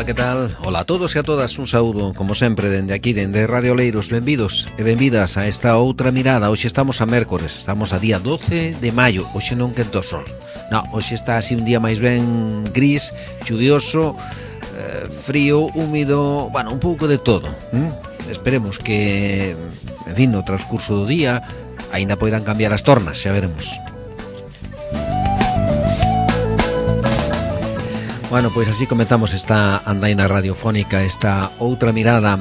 Ola, que tal? Ola a todos e a todas, un saúdo, como sempre, dende aquí, dende Radio Oleiros. Benvidos e benvidas a esta outra mirada. Hoxe estamos a mércores, estamos a día 12 de maio. Hoxe non quento o sol. No, hoxe está así un día máis ben gris, chuvioso, frío, húmido, bueno, un pouco de todo. Esperemos que, en fin, no transcurso do día aínda poidan cambiar as tornas, xa veremos. Bueno, pois así comenzamos esta andaina radiofónica, esta outra mirada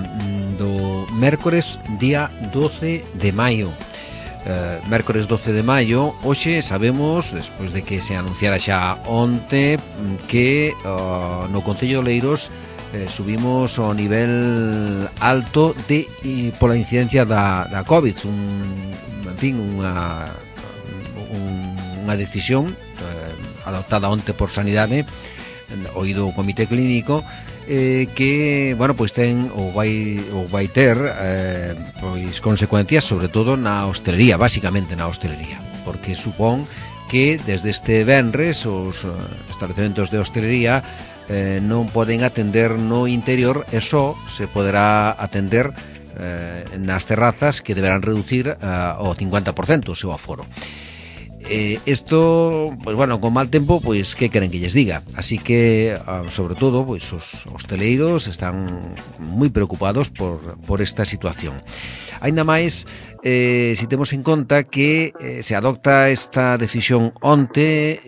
do mércores, día 12 de maio. Mércores 12 de maio, hoxe sabemos, despois de que se anunciara xa onte, que no Concello de Oleiros subimos ao nivel alto pola incidencia da COVID. En fin, unha decisión adoptada onte por Sanidade, oído o Comité Clínico, que, bueno, pois ten ou vai ter pois consecuencias sobre todo na hostelería, basicamente na hostelería, porque supón que desde este venres os establecementos de hostelería non poden atender no interior e só se poderá atender nas terrazas, que deberán reducir ao 50% o seu aforo. Isto, pues bueno, con mal tempo, pois que queren que lles diga. Así que, sobre todo, pois os hosteleiros están moi preocupados por esta situación. Aínda máis, si temos en conta que se adopta esta decisión onte,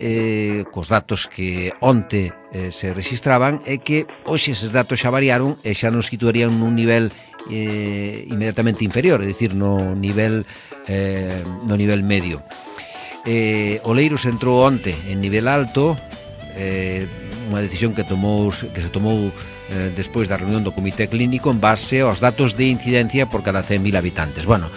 cos datos que onte se registraban, e que hoxe eses datos xa variaron e xa nos situarían nun nivel inmediatamente inferior, é dicir, no nivel medio. Oleiros entrou onte en nivel alto, unha decisión que se tomou despois da reunión do Comité Clínico en base aos datos de incidencia por cada 100.000 habitantes. Bueno,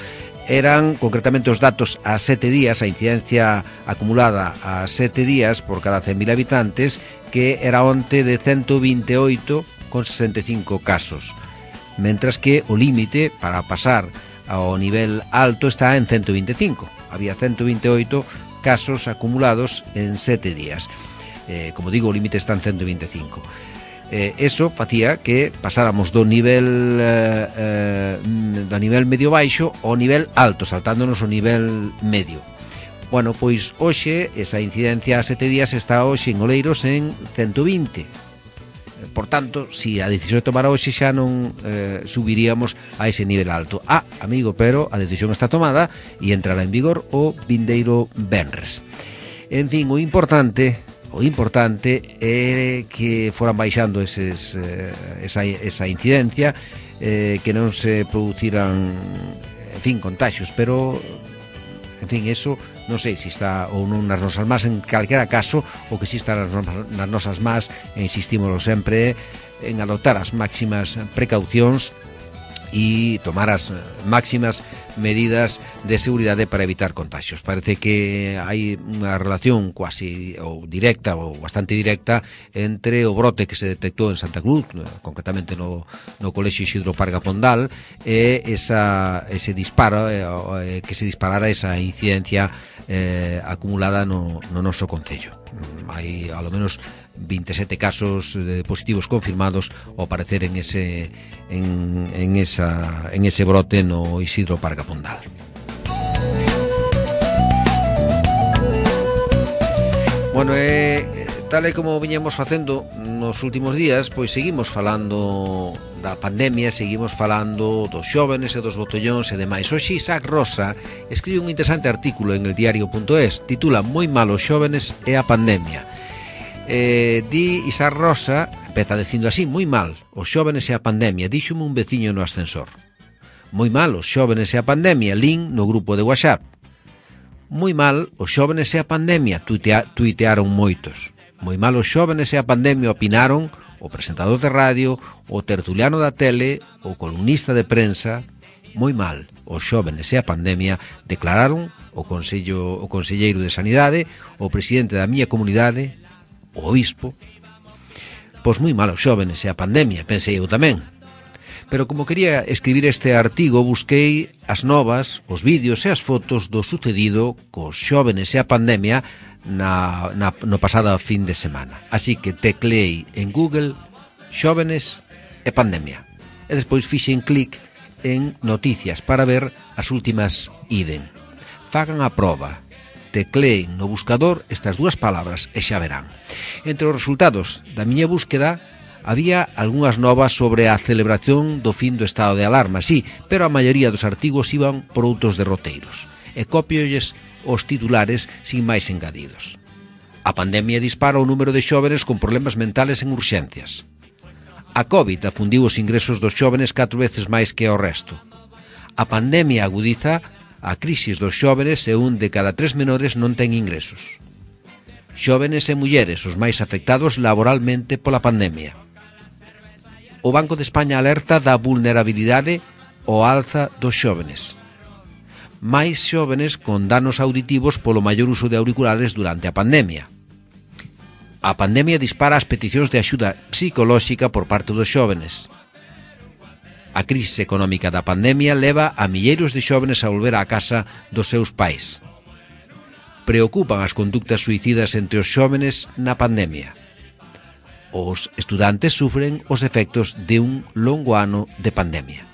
eran concretamente os datos a 7 días, a incidencia acumulada a 7 días por cada 100.000 habitantes, que era onte de 128,65 casos, mentras que o límite para pasar ao nivel alto está en 125. Había 128 casos acumulados en 7 días. Como digo, o límite está en 125. Eso facía que pasáramos do nivel medio baixo ao nivel alto, saltándonos o nivel medio. Bueno, pois hoxe esa incidencia a 7 días está hoxe en Oleiros en 120. Por tanto, si a decisión de tomar hoxe xa non subiríamos a ese nivel alto. Amigo, pero a decisión está tomada e entrará en vigor o vindeiro venres. En fin, o importante é que foran baixando esa incidencia, que non se produciran, en fin, contaxios, pero, en fin, eso non sei se está ou non nas nosas más, en calquera caso, o que si está nas nosas más, e insistímoslo sempre, en adoptar as máximas precaucións e tomar as máximas medidas de seguridade para evitar contagios. Parece que hai unha relación quasi ou directa ou bastante directa entre o brote que se detectou en Santa Cruz, concretamente no Colexio Isidro Parga Pondal, e ese disparo, que se disparara esa incidencia acumulada no noso concello. Hai ao menos 27 casos positivos confirmados ao parecer en ese brote no Isidro Parga Pondal. Bueno, tal e como viñemos facendo nos últimos días, pois seguimos falando da pandemia, seguimos falando dos xóvenes e dos botellóns e demais. Hoxe Isaac Rosa escribe un interesante artículo en eldiario.es, titula "Moi mal os xóvenes e a pandemia". Di Isaac Rosa, empeza dicindo así: "Moi mal os xóvenes e a pandemia, díxome un veciño no ascensor. Moi mal os xóvenes e a pandemia, lin no grupo de WhatsApp. Moi mal os xóvenes e a pandemia, tuitearon moitos. Moi mal os xóvenes e a pandemia, opinaron o presentador de radio, o tertuliano da tele, o columnista de prensa. Moi mal os xóvenes e a pandemia, declararon o conselleiro de Sanidade, o presidente da miña comunidade, o obispo. Pois moi mal os xóvenes e a pandemia, pensei eu tamén. Pero como quería escribir este artigo, busquei as novas, os vídeos e as fotos do sucedido cos xóvenes e a pandemia no pasado fin de semana. Así que tecleei en Google xóvenes e pandemia. E despois fixen clic en noticias para ver as últimas IDEN. Fagan a proba, tecleen no buscador estas dúas palabras e xa verán. Entre os resultados da miña búsqueda había algunhas novas sobre a celebración do fin do estado de alarma, sí, pero a maioría dos artigos iban por outros derroteiros, e cópiolles os titulares sin máis engadidos. A pandemia dispara o número de xóvenes con problemas mentales en urxencias. A COVID afundiu os ingresos dos xóvenes 4 veces máis que ao resto. A pandemia agudiza a crisis dos xóvenes e un de cada 3 menores non ten ingresos. Xóvenes e mulleres os máis afectados laboralmente pola pandemia. O Banco de España alerta da vulnerabilidade ao alza dos xóvenes. Máis xóvenes con danos auditivos polo maior uso de auriculares durante a pandemia. A pandemia dispara as peticións de axuda psicolóxica por parte dos xóvenes. A crise económica da pandemia leva a milleiros de xóvenes a volver á casa dos seus pais. Preocupan as conductas suicidas entre os xóvenes na pandemia. Os estudantes sufren os efectos de un longo ano de pandemia.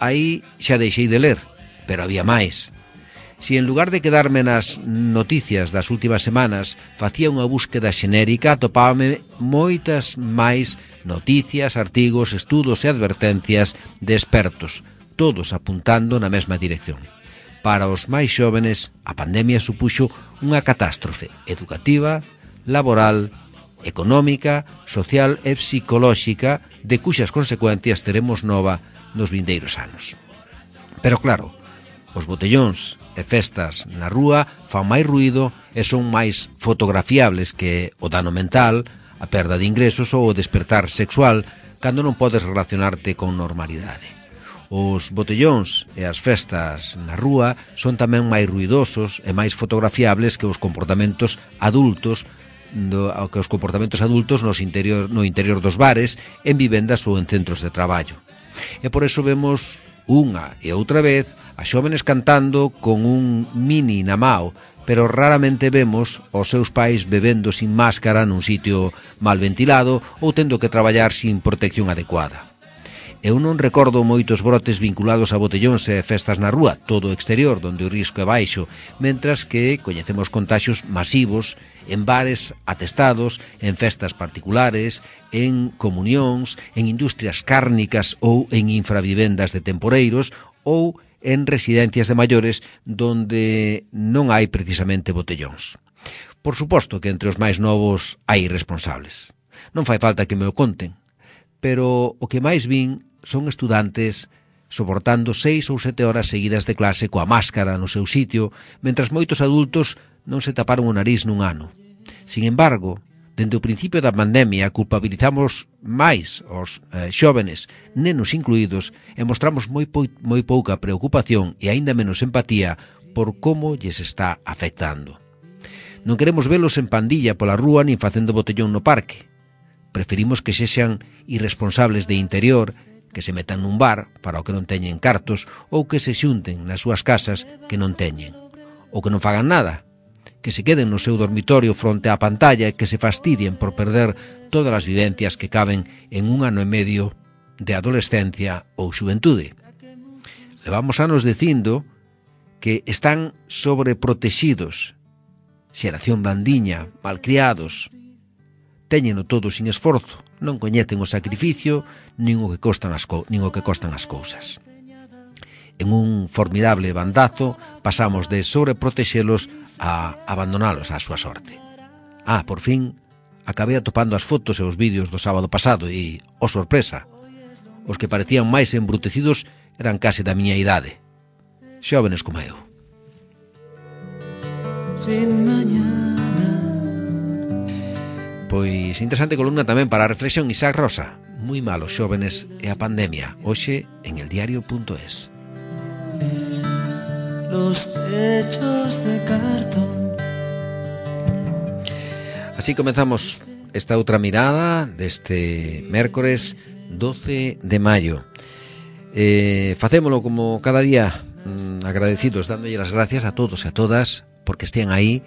Aí xa deixei de ler, pero había máis. Si en lugar de quedarme nas noticias das últimas semanas facía unha búsqueda xenérica, atopábame moitas máis noticias, artigos, estudos e advertencias de expertos, todos apuntando na mesma dirección. Para os máis xóvenes, a pandemia supuxo unha catástrofe educativa, laboral, económica, social e psicolóxica, de cuxas consecuencias teremos nova nos vindeiros anos. Pero claro, os botellóns e festas na rúa fan máis ruído e son máis fotografiables que o dano mental, a perda de ingresos ou o despertar sexual cando non podes relacionarte con normalidade. Os botellóns e as festas na rúa son tamén máis ruidosos e máis fotografiables que os comportamentos adultos no interior dos bares, en vivendas ou en centros de traballo. E por eso vemos unha e outra vez a xóvenes cantando con un mini na mao, pero raramente vemos os seus pais bebendo sin máscara nun sitio mal ventilado ou tendo que traballar sin protección adecuada. Eu non recordo moitos brotes vinculados a botellóns e festas na rúa, todo o exterior, onde o risco é baixo, mentras que coñecemos contaxios masivos en bares atestados, en festas particulares, en comunións, en industrias cárnicas ou en infravivendas de temporeiros ou en residencias de maiores donde non hai precisamente botellóns. Por suposto que entre os máis novos hai irresponsables. Non fai falta que me o conten, pero o que máis vin son estudantes soportando 6 ou 7 horas seguidas de clase coa máscara no seu sitio, mentras moitos adultos non se taparon o nariz nun ano. Sin embargo, dende o principio da pandemia culpabilizamos máis os xóvenes, nenos incluídos, e mostramos moi pouca preocupación e aínda menos empatía por como lles está afectando. Non queremos velos en pandilla pola rúa nin facendo botellón no parque. Preferimos que sexan irresponsables de interior, que se metan nun bar para o que non teñen cartos ou que se xunten nas súas casas que non teñen. Ou que non fagan nada, que se queden no seu dormitorio fronte á pantalla e que se fastidien por perder todas as vivencias que caben en un ano e medio de adolescencia ou xuventude. Levamos anos dicindo que están sobreprotexidos, xeración blandiña, malcriados, téñeno todo sin esforzo, non coñecen o sacrificio nin o que costan as cousas. En un formidable bandazo pasamos de sobreprotexelos a abandonalos á súa sorte. Por fin, acabei atopando as fotos e os vídeos do sábado pasado e, oh sorpresa, os que parecían máis embrutecidos eran case da miña idade, xóvenes como eu. Sin mañana. Pois interesante columna tamén para a reflexión. Isaac Rosa, moi malos xóvenes e a pandemia, hoxe en eldiario.es. Los techos de cartón. Así comenzamos esta outra mirada deste mércores 12 de maio. Facémolo como cada día, agradecidos, dándolle as gracias a todos e a todas porque estean aí,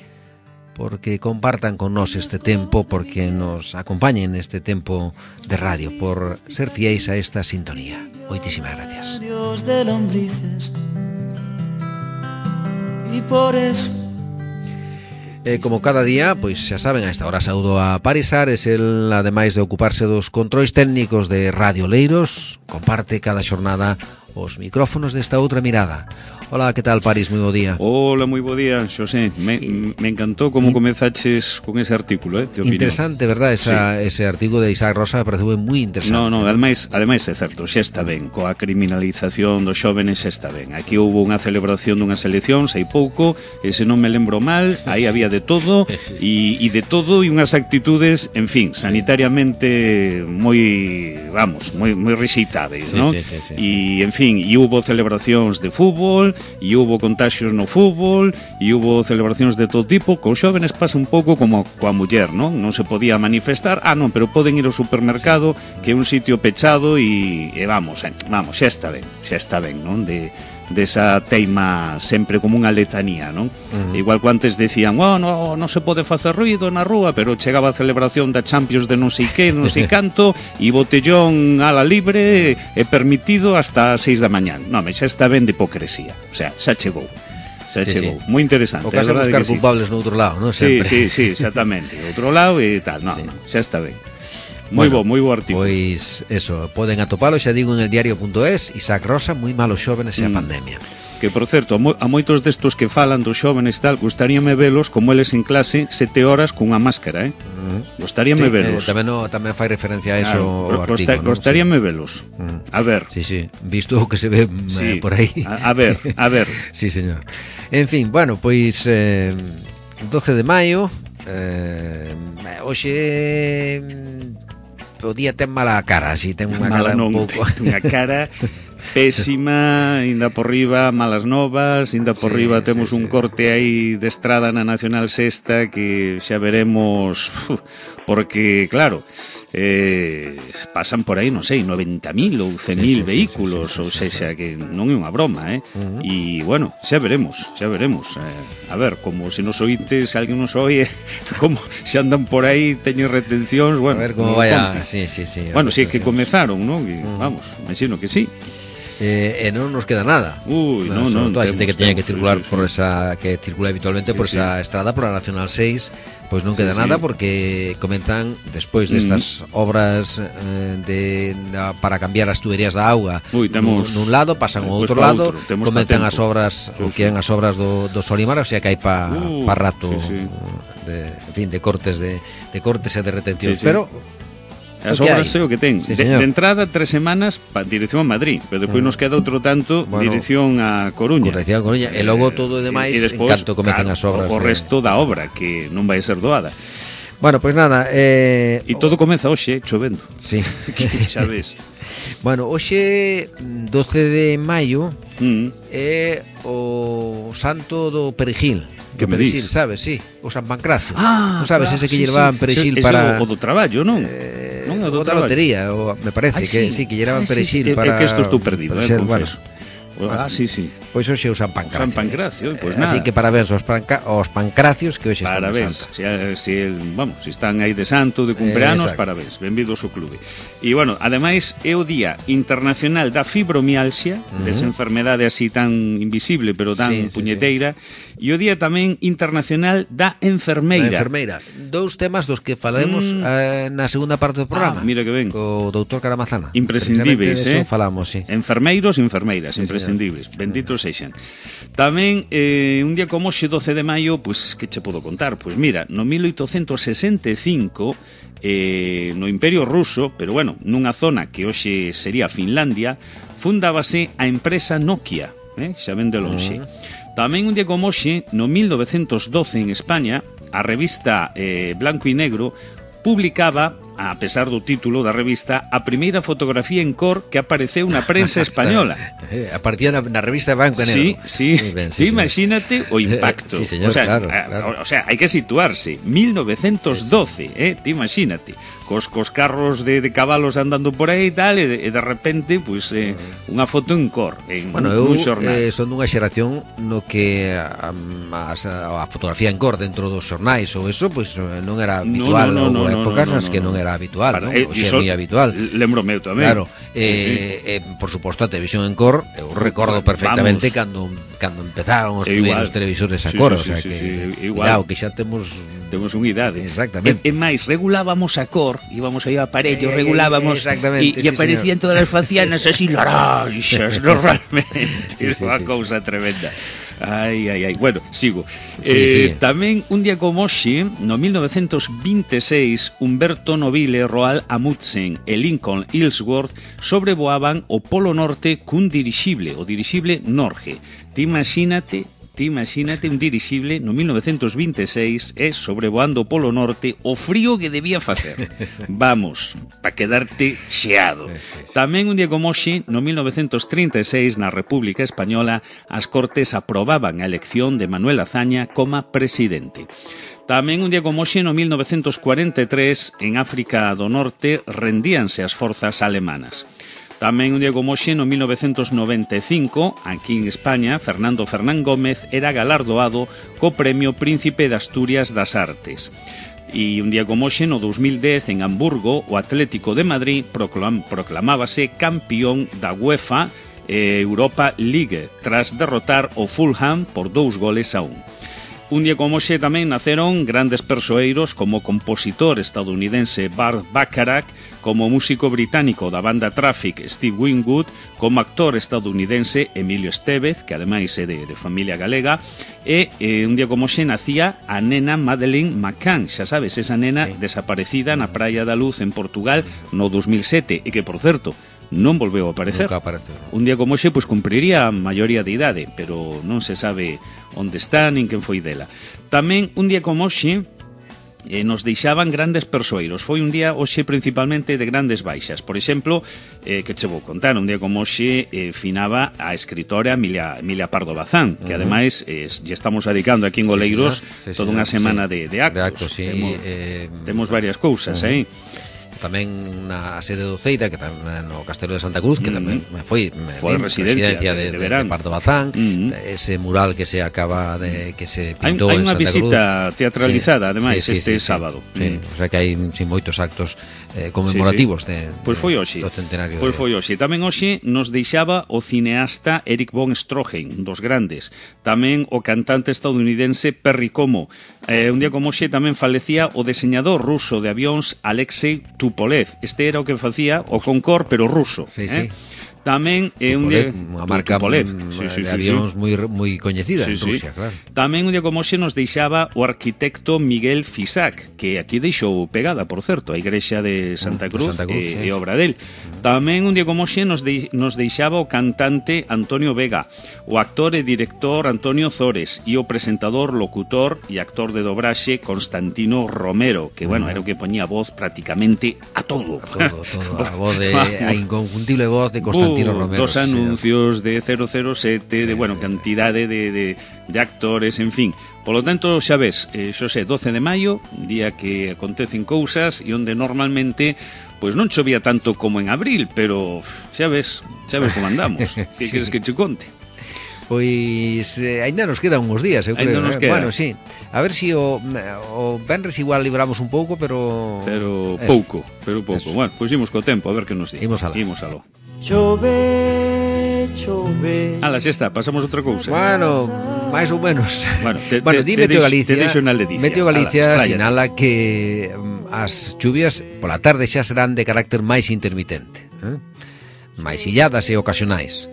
porque compartan con nós este tempo, porque nos acompañen neste tempo de radio, por ser fiéis a esta sintonía. Moitísimas gracias. Como cada día, pois xa saben, a esta hora saúdo a Paris Ares, el, ademais de ocuparse dos controis técnicos de Radio Leiros, comparte cada xornada os micrófonos desta outra mirada. Hola, que tal, Paris? Moi bo día. Hola, moi bo día, Xosé. Me encantou como comezaches con ese artículo, de opinión. Interesante, verdad? Ese artículo de Isaac Rosa pareceu moi interesante. No, ademais é certo, xa está ben, coa criminalización dos xóvenes xa está ben. Aquí houve unha celebración dunhas eleccións hai pouco, e se non me lembro mal, aí había de todo, e de todo, e unhas actitudes, en fin, sanitariamente moi rexeitáveis, non? E, en fin, e houve celebracións de fútbol, e houve contaxios no fútbol, e houve celebracións de todo tipo. Cos xóvenes pasa un pouco como coa muller, non? Non se podía manifestar, pero poden ir ao supermercado, que é un sitio pechado, e vamos, xa está ben, non? Desa teima sempre como unha letanía, non? Igual que antes decían, non se pode facer ruido na rúa, pero chegaba a celebración da Champions de non sei que, non sei canto, e botellón ala libre é permitido hasta as 6 da mañán. Non, xa está ben de hipocresía. O sea, xa chegou. Moi interesante. O caso de buscar culpables no outro lado, non? Sí, exactamente. Outro lado e tal, xa está ben. Moi bo artículo. Pois, eso, poden atopalo, xa digo, en el diario.es. Isaac Rosa, moi malos xóvenes e a pandemia. Que, por certo, a moitos destos que falan dos xóvenes tal, gustaríame velos como eles en clase 7 horas cunha máscara, Gustaríame velos. Tamén fai referencia a eso o artigo. Gustaríame velos. A ver. Sí, visto o que se ve por aí. A ver. Sí, señor. En fin, bueno, pois 12 de maio, hoxe o día ten mala cara, así ten unha cara un pouco. Unha cara pésima, ainda por riba malas novas, ainda por riba temos un corte aí de estrada na Nacional Sexta que xa veremos, porque claro, pasan por aí, non sei, 90.000 ou 100.000 vehículos, ou sexa que non é unha broma, e bueno, xa veremos, a ver, como se nos oítes, se alguén nos oye, como se andan por aí, teñen retencións, bueno, a ver como vaya, sí. Bueno, si é que comezaron, non? Vamos, imagino que sí. E non nos queda nada. Non, toda a xente que teña que circular por esa, que circula habitualmente por esa estrada, por a Nacional 6, pois non queda nada, porque comentan despois destas obras para cambiar as tuberías da auga nun lado, pasan ao outro lado, comentan as obras, o que é as obras do Solimar, o sea que hai pa rato de cortes e de retención, pero as obras é o que ten. De entrada 3 semanas para dirección a Madrid, pero depois nos queda outro tanto dirección a Coruña. E logo todo o demais en canto comezan as obras. O resto da obra que non vai ser doada. Bueno, pois nada, e todo comeza hoxe chovendo. Sí. Xa ves. Bueno, hoxe 12 de maio é o santo do perejil. Que perejil, sabes, sí, o San Pancracio. Non sabes, ese que llevaban perejil para o do traballo, non? Non, o da lotería, me parece que que llevaban perejil para. É que isto estou perdido, confeso. Sí. Pois hoxe é o San Pancracio. San Pancracio, pois nada. Así que parabéns aos pancracios que hoxe están de santo. Si están aí de santo, de cumpleanos, parabéns, benvidos ao clube. E, bueno, ademais, é o Día Internacional da Fibromialgia, desa enfermedade así tan invisible, pero tan puñeteira, e o Día tamén Internacional da Enfermeira. Dous temas dos que falaremos na segunda parte do programa. Mira que ben. Co doutor Caramazana. Imprescindibles, eso falamos, sí. Enfermeiros e enfermeiras, imprescindibles. Benditos sexan. Tamén, un día como hoxe, 12 de maio, pois, que che podo contar? Pois mira, no 1865, no Imperio Ruso, pero bueno, nunha zona que hoxe sería Finlandia, fundábase a empresa Nokia, xa ven de lonxe. Tamén un día como hoxe, no 1912 en España, a revista Blanco y Negro publicaba a pesar do título da revista, a primeira fotografía en cor que apareceu na prensa española. Aparecía na revista Branco e Negro. Sí. Imagínate o impacto. Sí, señor, claro. O sea, hai que situarse. 1912, ti imagínate. Cos carros de cabalos andando por aí e tal, e de repente, pues, unha foto en cor, un xornal. Son dunha xeración no que a fotografía en cor dentro dos xornais ou eso, pues, non era habitual. Houve épocas nas que non era habitual, non? O sea, moi habitual. Lembro meu tamén. Claro, por suposto, a televisión en cor, eu recordo perfectamente cando empezaron os primeiros televisores a cor, o sea que, cuidado, que xa temos unha idade. Exactamente. E máis, regulábamos a cor, íbamos aí ao aparello, regulábamos e aparecían todas as facianas así laranxas, normalmente. Unha cousa tremenda. Ai. Bueno, sigo. Tamén un día como hoxe, no 1926, Humberto Nobile, Roald Amundsen e Lincoln Ellsworth sobrevoaban o Polo Norte cun dirixible, o dirixible Norge. Ti imagínate un dirixible no 1926 sobrevoando o Polo Norte o frío que debía facer. Vamos, pa quedarte xeado. Tamén un día como hoxe, no 1936, na República Española, as Cortes aprobaban a elección de Manuel Azaña como presidente. Tamén un día como hoxe, no 1943, en África do Norte, rendíanse as forzas alemanas. Tamén un día como hoxe, no 1995, aquí en España, Fernando Fernán Gómez era galardoado co Premio Príncipe de Asturias das Artes. E un día como hoxe, no 2010, en Hamburgo, o Atlético de Madrid proclamábase campeón da UEFA Europa League, tras derrotar o Fulham por 2-1. Un día como hoxe tamén naceron grandes persoeiros como o compositor estadounidense Burt Bacharach, como músico británico da banda Traffic Steve Winwood, como actor estadounidense Emilio Estevez, que ademais é de familia galega, e un día como hoxe nacía a nena Madeleine McCann, xa sabes, esa nena desaparecida na Praia da Luz en Portugal no 2007, e que, por certo, non volveu a aparecer. Nunca apareceu. Un día como hoxe, pois, cumpriría a maioría de idade, pero non se sabe onde está nin quen foi dela. Tamén un día como hoxe nos deixaban grandes persoeiros. Foi un día hoxe principalmente de grandes baixas. Por exemplo, que che vou contar, un día como hoxe finaba a escritora Emilia Pardo Bazán, que ademais lle estamos dedicando aquí en Oleiros toda unha semana de actos. Temos varias cousas, tamén na sede do Ceira, que tamén no Castelo de Santa Cruz, que tamén foi residencia de Pardo Bazán, ese mural que se acaba de que se pintou en Santa Cruz. Hai unha visita teatralizada, ademais, este sábado. O sea que hai moitos actos conmemorativos do centenario. Pois foi hoxe. Tamén hoxe nos deixaba o cineasta Erich von Stroheim, dos grandes. Tamén o cantante estadounidense Perry Como. Un día como hoxe tamén falecía o deseñador ruso de avións Alexei Tupolev. Este era o que facía o Concorde, pero ruso. Tamén un día unha marca de avións moi coñecida en Rusia, claro. Tamén un día como hoxe nos deixaba o arquitecto Miguel Fisac, que aquí deixou pegada, por certo, a igrexa de Santa Cruz, e obra del. Tamén un día como hoxe nos deixaba o cantante Antonio Vega, o actor e director Antonio Zores e o presentador, locutor e actor de dobraxe Constantino Romero, que, bueno, era o que poñía voz prácticamente a todo. A voz a inconfundible voz de Constantino Romero, dos anuncios de 007, de, bueno, cantidade de actores, en fin. Por lo tanto, xa ves, Xosé, 12 de maio, día que acontecen cousas e onde normalmente pois non chovía tanto como en abril, pero xa ves como andamos. Que queres que che conte? Pois ainda nos quedan uns días, eu creo. Bueno, sí. A ver si o venres igual libramos un pouco, pero pouco. Bueno, pois imos co tempo, a ver que nos di. Imos aló. Chove. Ala, xa está, pasamos outra cousa. Bueno, máis ou menos. Bueno, di Meteo Galicia. Meteo Galicia sinala que as chuvias pola tarde xa serán de carácter máis intermitente, máis illadas e ocasionais.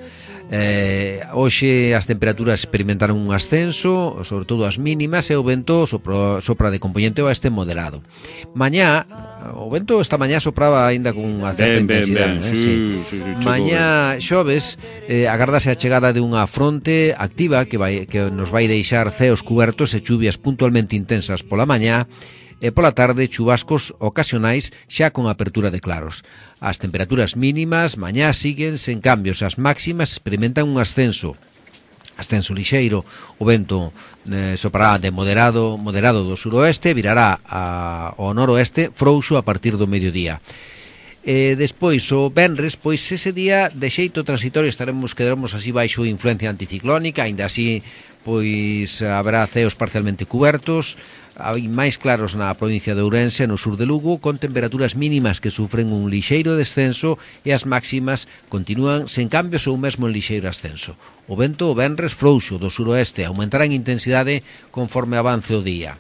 Hoxe as temperaturas experimentaron un ascenso, sobre todo as mínimas, e o vento sopra de componente oeste moderado. Mañá, o vento esta mañá sopraba aínda con unha certa intensidade. Mañá xoves agardase a chegada de unha fronte activa que nos vai deixar ceos cubertos e chuvias puntualmente intensas pola mañá, e pola tarde chubascos ocasionais xa con apertura de claros. As temperaturas mínimas mañá siguen sen cambios, as máximas experimentan un ascenso lixeiro, o vento soprará de moderado do suroeste, virará ao noroeste frouxo a partir do mediodía. Despois o venres, pois ese día de xeito transitorio quedaremos así baixo influencia anticiclónica, aínda así pois haberá ceos parcialmente cubertos, hai máis claros na provincia de Ourense, no sur de Lugo, con temperaturas mínimas que sufren un lixeiro descenso e as máximas continúan sen cambios ou mesmo en lixeiro ascenso. O vento o venres frouxo do suroeste aumentará en intensidade conforme avance o día.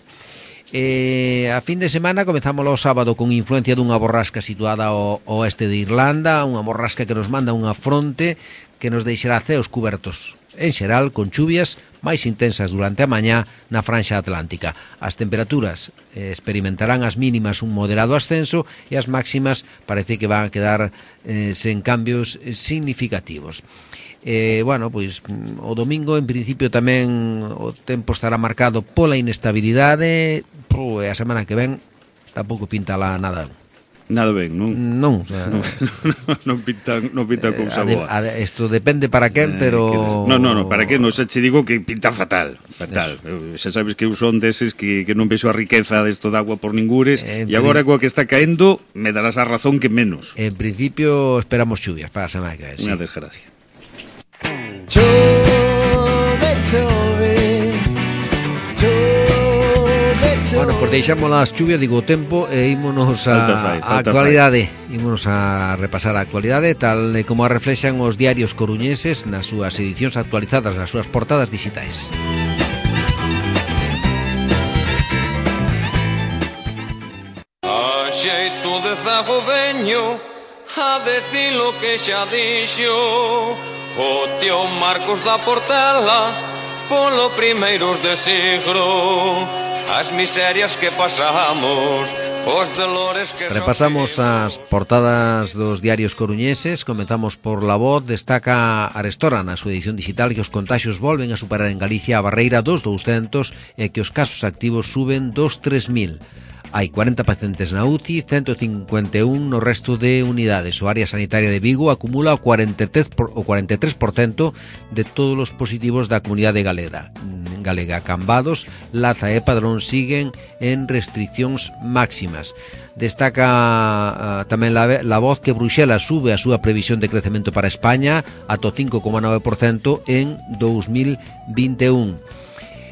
A fin de semana comezamos o sábado con influencia dunha borrasca situada ao oeste de Irlanda, unha borrasca que nos manda unha fronte que nos deixará ceos cubertos en xeral con chuvias máis intensas durante a mañá na franxa atlántica. As temperaturas experimentarán as mínimas un moderado ascenso e as máximas parece que van a quedar sen cambios significativos. Bueno, pois o domingo en principio tamén o tempo estará marcado pola inestabilidade, e a semana que ven tampouco pinta lá nada. Nada ben, non? Non, non pinta cousa boa. Isto depende para quen, pero... No, para quen, non xa che digo que pinta fatal. Xa sabes que eu son deses que non vexo a riqueza desto de agua por ningures, e agora coa que está caendo me darás a razón que menos. En principio esperamos chuvias para a semana que ven. Unha desgracia. Chove, chove, chove. Bueno, pois deixamos as chuvias, digo o tempo, e ímonos a actualidade. Ímonos a repasar a actualidade tal como a reflexan os diarios coruñeses nas súas edicións actualizadas, nas súas portadas digitais. A xeito de zago veño a decir lo que xa dixo o tío Marcos da Portela polo primeiros de siglo. As miserias que pasamos, os dolores que repasamos as portadas dos diarios coruñeses. Comenzamos por La Voz. Destaca Arestora na súa edición digital que os contaxios volven a superar en Galicia a barreira dos 200 e que os casos activos suben dos 3.000. Hai 40 pacientes na UCI, 151 no resto de unidades. O área sanitaria de Vigo acumula o 43% de todos os positivos da comunidade galega. Cambados, Laza e Padrón siguen en restriccións máximas. Destaca tamén la Voz que Bruxelas sube a súa previsión de crecemento para España ata o 5,9% en 2021.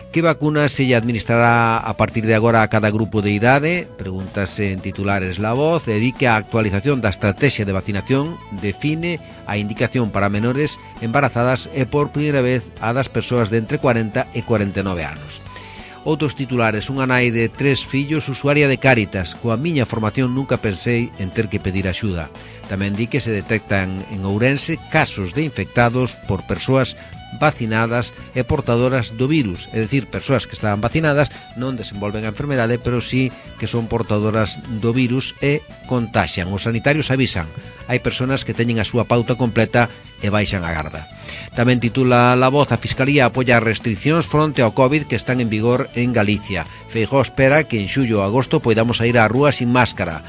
Que vacunas se lle administrará a partir de agora a cada grupo de idade? Pregúntase en titulares La Voz. E di que a actualización da estrategia de vacinación define a indicación para menores embarazadas e por primeira vez a das persoas de entre 40 e 49 anos. Outros titulares. Unha nai de 3 fillos usuaria de Cáritas. Coa miña formación nunca pensei en ter que pedir axuda. Tamén di que se detectan en Ourense casos de infectados por persoas vacinadas e portadoras do virus, é dicir, persoas que estaban vacinadas non desenvolven a enfermedade, pero sí que son portadoras do virus e contaxian. Os sanitarios avisan, hai persoas que teñen a súa pauta completa e baixan a garda. Tamén titula La Voz, a Fiscalía apoia as restriccións fronte ao COVID que están en vigor en Galicia. Feijóo espera que en xullo ou agosto poidamos ir á rúa sin máscara.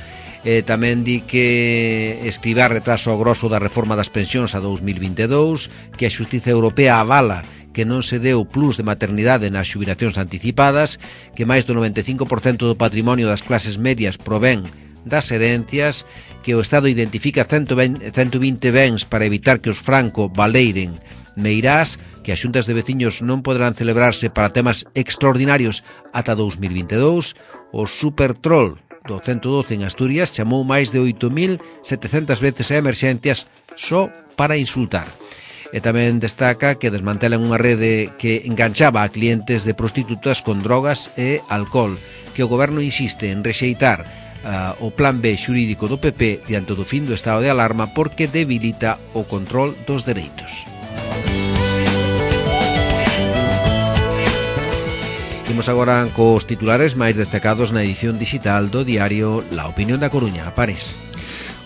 Tamén di que Escrivá retraso o grosso da reforma das pensións a 2022, que a Xustiza Europea avala que non se deu plus de maternidade nas xubilacións anticipadas, que máis do 95% do patrimonio das clases medias provén das herencias, que o Estado identifica 120 bens para evitar que os Franco valeiren Meirás, que as xuntas de veciños non poderán celebrarse para temas extraordinarios ata 2022, o Supertrol do 112 en Asturias chamou máis de 8.700 veces a emerxencias só para insultar. E tamén destaca que desmantelan unha rede que enganchaba a clientes de prostitutas con drogas e alcohol, que o goberno insiste en rexeitar o plan B xurídico do PP diante do fin do estado de alarma porque debilita o control dos dereitos. Imos agora cos titulares máis destacados na edición digital do diario La Opinión da Coruña. Pares.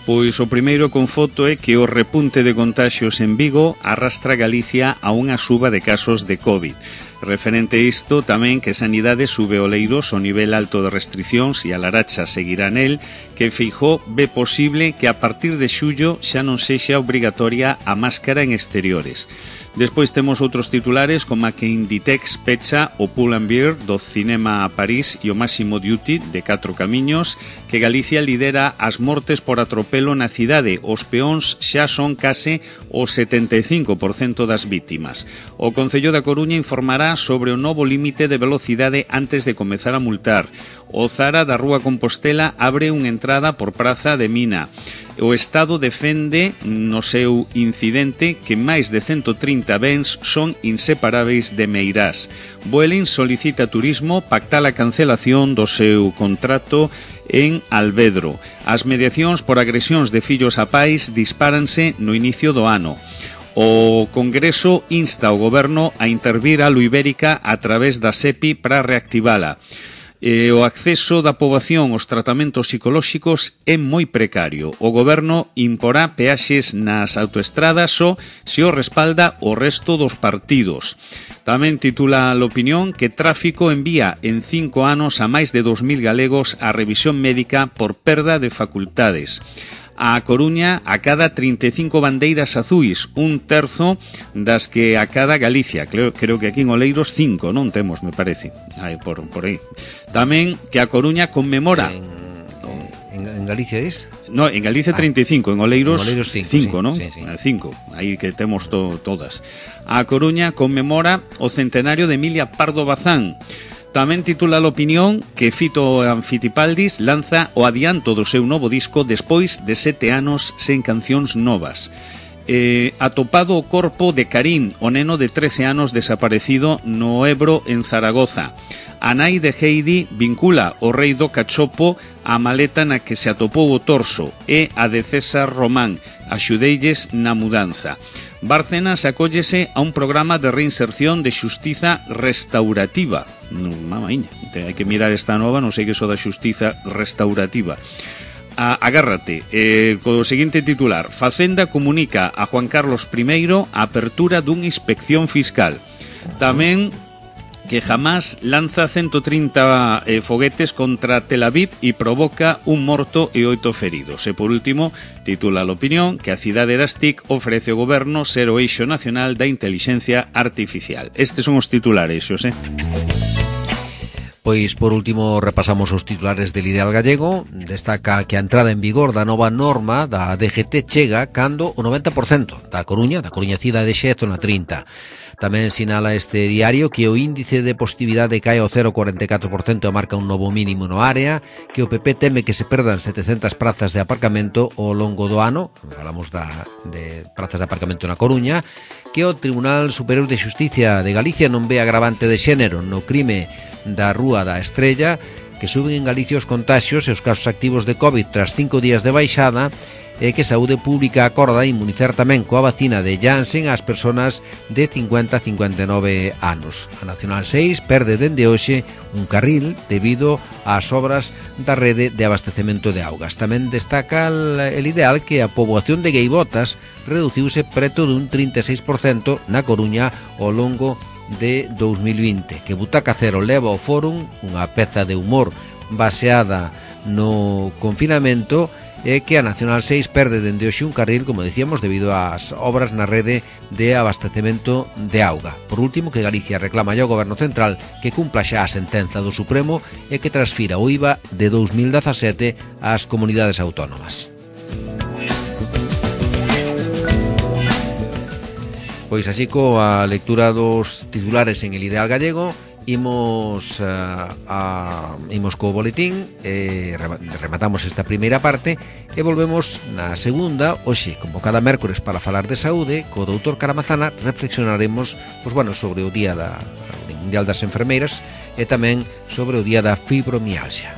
Pois o primeiro con foto é que o repunte de contaxios en Vigo arrastra Galicia a unha suba de casos de COVID. Referente a isto, tamén que Sanidade sube o Oleiros o nivel alto de restriccións e a Laracha seguirá nel, que Feijóo ve posible que a partir de xullo xa non sexa obrigatoria a máscara en exteriores. Despois temos outros titulares como a que Inditex pecha o Pull & Bear do cinema a París e o Máximo Duty de 4 camiños, que Galicia lidera as mortes por atropelo na cidade. Os peóns xa son case o 75% das vítimas. O Concello da Coruña informará sobre o novo límite de velocidade antes de comezar a multar. O Zara da Rúa Compostela abre unha entrada por Praza de Mina. O Estado defende no seu incidente que máis de 130 bens son inseparáveis de Meirás. Vueling solicita turismo pactar a cancelación do seu contrato en Alvedro. As mediacións por agresións de fillos a pais dispáranse no inicio do ano. O Congreso insta ao Goberno a intervir a Luibérica a través da SEPI para reactivala. O acceso da poboación aos tratamentos psicolóxicos é moi precario. O Goberno imporá peaxes nas autoestradas só se o respalda o resto dos partidos. Tamén titula a L'Opinión que Tráfico envía en 5 anos a máis de 2.000 galegos a revisión médica por perda de facultades. A Coruña acada 35 bandeiras azuis, un terzo das que acada Galicia. Creo que aquí en Oleiros 5, non temos, me parece. Por aí. Tamén que a Coruña conmemora... En Galicia es? No, en Galicia 35, en Oleiros 5, sí, non? Sí, sí. 5, aí que temos todas. A Coruña conmemora o centenario de Emilia Pardo Bazán. Tamén titula a L'Opinión que Fito Anfitipaldis lanza o adianto do seu novo disco despois de 7 anos sen cancións novas. Atopado o corpo de Karim, o neno de 13 anos desaparecido no Ebro en Zaragoza. A nai de Heidi vincula o rei do cachopo á maleta na que se atopou o torso e a de César Román, axudeilles na mudanza. Bárcenas acóllese a un programa de reinserción de xustiza restaurativa. Mamaíña, hai que mirar esta nova, non sei que so da xustiza restaurativa. Agárrate, co seguinte titular: Facenda comunica a Juan Carlos I a apertura dunha inspección fiscal. Tamén que Hamas lanza 130 foguetes contra Tel Aviv e provoca un morto e 8 feridos. E por último, titula a L'Opinión que a cidade das TIC ofrece ao goberno ser o eixo nacional da intelixencia artificial. Estes son os titulares, Xosé. Pois, por último, repasamos os titulares del Ideal Gallego. Destaca que a entrada en vigor da nova norma da DGT chega cando o 90% da Coruña cidade xa é zona 30. Tamén sinala este diario que o índice de positividade cae ao 0,44% e marca un novo mínimo no área, que o PP teme que se perdan 700 prazas de aparcamento ao longo do ano, falamos de prazas de aparcamento na Coruña, que o Tribunal Superior de Xusticia de Galicia non ve agravante de xénero no crime da Rúa da Estrella, que suben en Galicia os contaxios e os casos activos de COVID tras 5 días de baixada, e que Saúde Pública acorda inmunizar tamén coa vacina de Janssen ás persoas de 50 a 59 anos. A Nacional 6 perde dende hoxe un carril debido ás obras da rede de abastecemento de augas. Tamén destaca el Ideal que a poboación de gaivotas reduciuse preto dun 36% na Coruña ao longo de 2020, que Butaca Cero leva ao Fórum unha peza de humor baseada no confinamento, e que a Nacional 6 perde dende hoxe un carril, como decíamos, debido ás obras na rede de abastecemento de auga. Por último, que Galicia reclama ao Goberno Central que cumpla xa a sentenza do Supremo e que transfira o IVA de 2017 ás comunidades autónomas. Pois así coa lectura dos titulares en el Ideal Gallego, imos co boletín, rematamos esta primeira parte e volvemos na segunda, hoxe, como cada mércores para falar de saúde, co doutor Caramazana reflexionaremos sobre o Día Mundial das Enfermeiras e tamén sobre o Día da Fibromialgia.